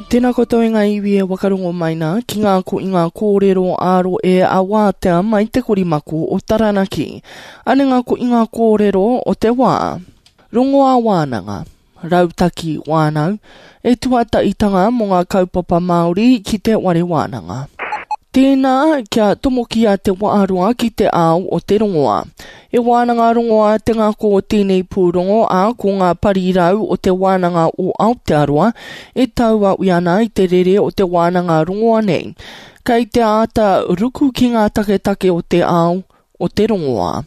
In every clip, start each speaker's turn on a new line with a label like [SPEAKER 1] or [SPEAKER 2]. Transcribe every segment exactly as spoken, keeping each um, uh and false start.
[SPEAKER 1] Tēnā koutou e ngā iwi e wakarongo mai nā ki ngā ko i ngā kōrero āro e a wātea mai te korimako o Taranaki. Ane ngā ko i ngā kōrero o te wā. Rongoā wānanga, rautaki wānau, e tuataitanga mō ngā kaupapa Māori ki te ware wānanga. Tēnā, kia tomokia te waaroa ki te ao o te rongoā. E wānanga rongoā te ngako o tēnei pūrongo a ko ngā parirau o te wānanga o Aotearoa e tauawi ana i te rere o te wānanga rongoa nei. Kei te āta ruku ki ngā taketake o te ao o te rongoā.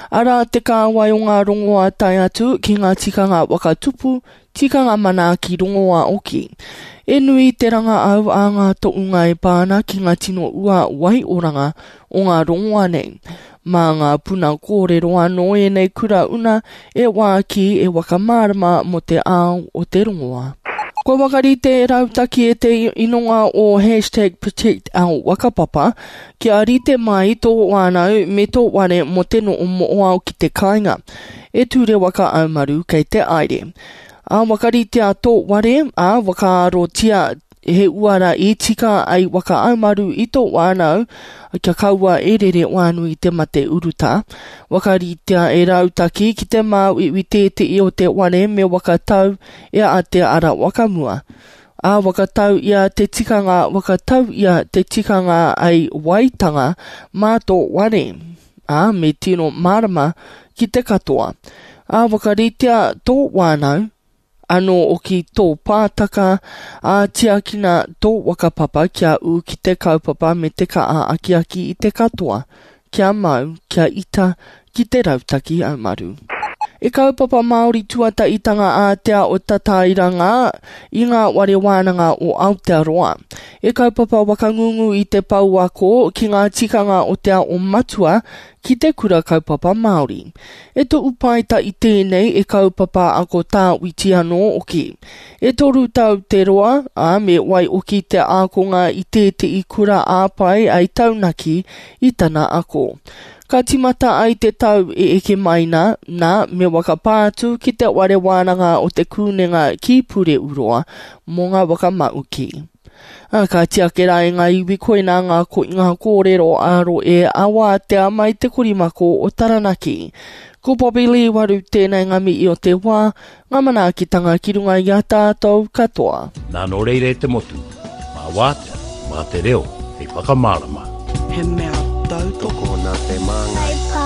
[SPEAKER 1] Arā te kāwai o ngā rongoā tae atu ki ngā tikanga whakatupu, tikanga manaaki rongoā oki. E nui te ranga au a ngā toʻunga e pā ana ki ngā tino ua waioranga o ngā rongoā nei. Mā ngā puna kōrero anō ēnei kura una e wāki e whakamārama mō te ao o te rongoā. Kua whakarite e rautaki e te inonga o hashtag protect our whakapapa kia rite mai tō wānau me tō ware mō te noo mo'oao ki te kāinga. E ture waka aumaru kei te aere. A whakaritea tō ware, a whakaarotia he uara i tika ai waka aumaru i tō wānau, kia kaua e rere wānui te mate uruta. Whakaritea e rautaki ki te māuiui tētehi o te ware me whakatau e a te ara wakamua. A whakatau ia te tikanga, whakatau ia te tikanga ai waitanga mā tō ware. A me tino mārama ki te katoa. A whakaritea tō wānau, anō oki tō pātaka, a tiakina tō whakapapa kia ū ki te kaupapa me te kaa akiaki i te katoa, kia mau, kia ita, ki te rautaki aumaru. E kaupapa Māori tuataitanga ātea o Tatairanga i ngā ware wānanga o Aotearoa. E kaupapa wakangungu i te pouako ki ngā tikanga o te ao matua ki te kura kaupapa Māori. E toʻu paeta i tēnei e kaupapa ako tāwiti anō oki. E toru tau te roa, a me wai oki te ākonga i tētehi kura āpai ai taunaki i tana ako. Ka timata ai te tau e eke mai nā, nā me whakapā atu ki te ware wānanga o te kūnenga ki Pureuroa mō ngā whakamauki. A, ka tiake rā e ngā iwi koinā ngā ko ngā kōrero aro e awātea mai te korimako o Taranaki. Ko Bobby Lee Waru tēnei ngā mihi o te wā, ngā manaakitanga ki runga i a tātou katoa.
[SPEAKER 2] Nā nō reira e te motu, mā wātea, mā te reo, hei whakamārama.
[SPEAKER 3] He mea tautoko
[SPEAKER 4] Tokona te māngai.